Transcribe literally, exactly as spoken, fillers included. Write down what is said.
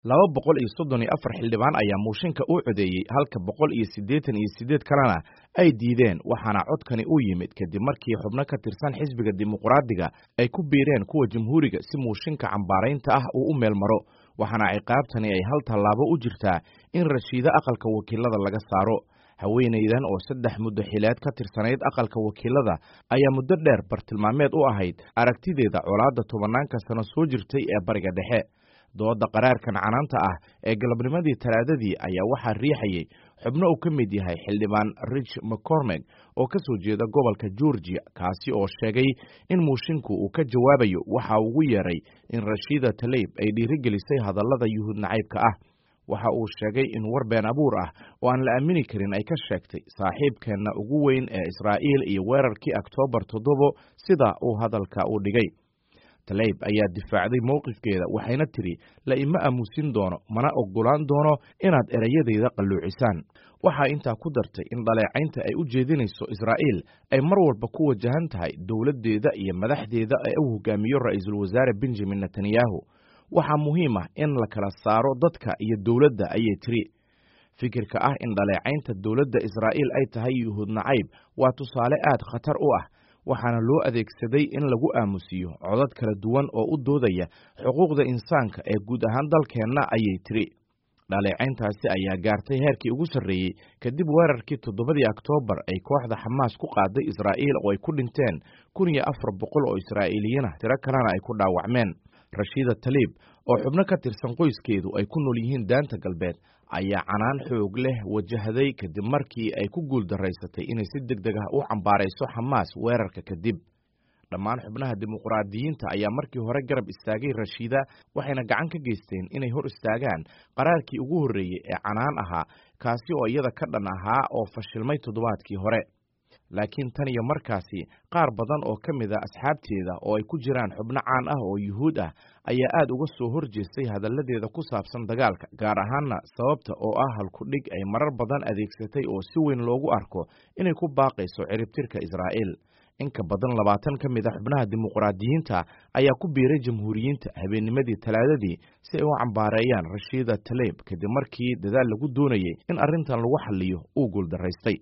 Laba boqol iyo soddon iyo afar xildhibaan ayaa mooshinka u codeeyey, halka boqol iyo siddeetan iyo siddeed kalena ay diideen, waxaana codkani u yimid kadib markii xubno ka tirsan xisbiga Dimuqraadiga ay ku biireen kuwa Jamhuuriga si mooshinka cambaaraynta ah uu u meel maro, waxaana ciqaabtani ay hal tallaabo u jirtaa in Rashiida aqalka wakiilada laga saaro. Haweenaydan oo saddex muddo xileed ka tirsanayd aqalka wakiilada ayaa muddo dheer bartilmaameed u ahayd aragtideeda colaadda tobanaanka sano soo jirtay ee Bariga Dhexe. Dooda qaraarkan canaanta ah ee galabnimadii Talaadadii ayaa waxaa riixayay xubno uu ka mid yahay xildhibaan Rich McCormick oo ka soo jeeda gobolka Georgia, kaasi oo sheegay in moshinku uu ka jawaabayo waxa ugu yeeray in Rashiida Tlaib ay dhiirigelisay hadallada Yuhuud nacaybka ah. Waxa uu sheegay in war been abuur ah oo aan la aamini karin ay ka sheegtay saaxiibkeenna ugu weyn ee Israa'iil iyo weerarkii Oktoobar toddobo, sida uu hadalka u dhigay. Tlaib ayaa difaacday mowqifkeeda, waxayna tidhi: "La ima aamusin doono, mana oggolaan doono inaad ereyadayda qalluucisaan." Waxaa intaa ku dartay in dhaleecaynta ay u jeedinayso Israa'iil ay mar walba ku wajahan tahay dowladdeeda iyo madaxdeeda ee uu hogaamiyo Ra'iisul Wasaare Benjamin Netanyahu. "Waxaa muhiim ah in la kala saaro dadka iyo dowladda," ayay tiri. "Fikirka ah in dhaleecaynta dowladda Israa'iil ay tahay Yuhuud nacayb waa tusaale aad khatar u ah, waxaana loo adeegsaday in lagu aamusiyo codad kala duwan oo u doodaya xuquuqda insaanka ee guud ahaan dalkeenna," ayay tiri. Dhaleecayntaasi ayaa gaartay heerkii ugu sarreeyey kadib weerarkii toddobadii Oktoobar ay kooxda Xamaas ku qaaday Israa'iil oo ay ku dhinteen kun iyo afar boqol oo Israa'iiliyiin ah, tiro kalena ay ku dhaawacmeen. Rashiida Tlaib oo xubno ka tirsan qoyskeedu ay ku nool yihiin Daanta Galbeed ayaa canaan xoog leh wajahday kadib markii ay ku guuldaraysatay inay si deg deg ah u cambaarayso Xamaas weerarka kadib. Dhammaan xubnaha Dimuqraadiyiinta ayaa markii hore garab istaagay Rashiida, waxayna gacan ka geysteen inay hor istaagaan qaraarkii ugu horreeyey ee canaan ahaa, kaasi oo iyada ka dhan ahaa oo fashilmay toddobaadkii hore. Laakiin tan iyo markaasi qaar badan oo ka mid a asxaabteeda oo ay ku jiraan xubno caan ah oo Yuhuud ah ayaa aad uga soo horjeestay hadalladeeda ku saabsan dagaalka, gaar ahaanna sababta oo ah halkudhig ay marar badan adeegsatay oo si weyn loogu arko inay ku baaqayso ciribtirka Israa'iil. In ka badan labaatan ka mid a xubnaha Dimuqraadiyiinta ayaa ku biiray Jamhuuriyiinta habeennimadii Talaadadii si ay u cambaareeyaan Rashiida Tlaib kadib markii dadaal lagu doonayey in arrintan lagu xalliyo uu guuldaraystay.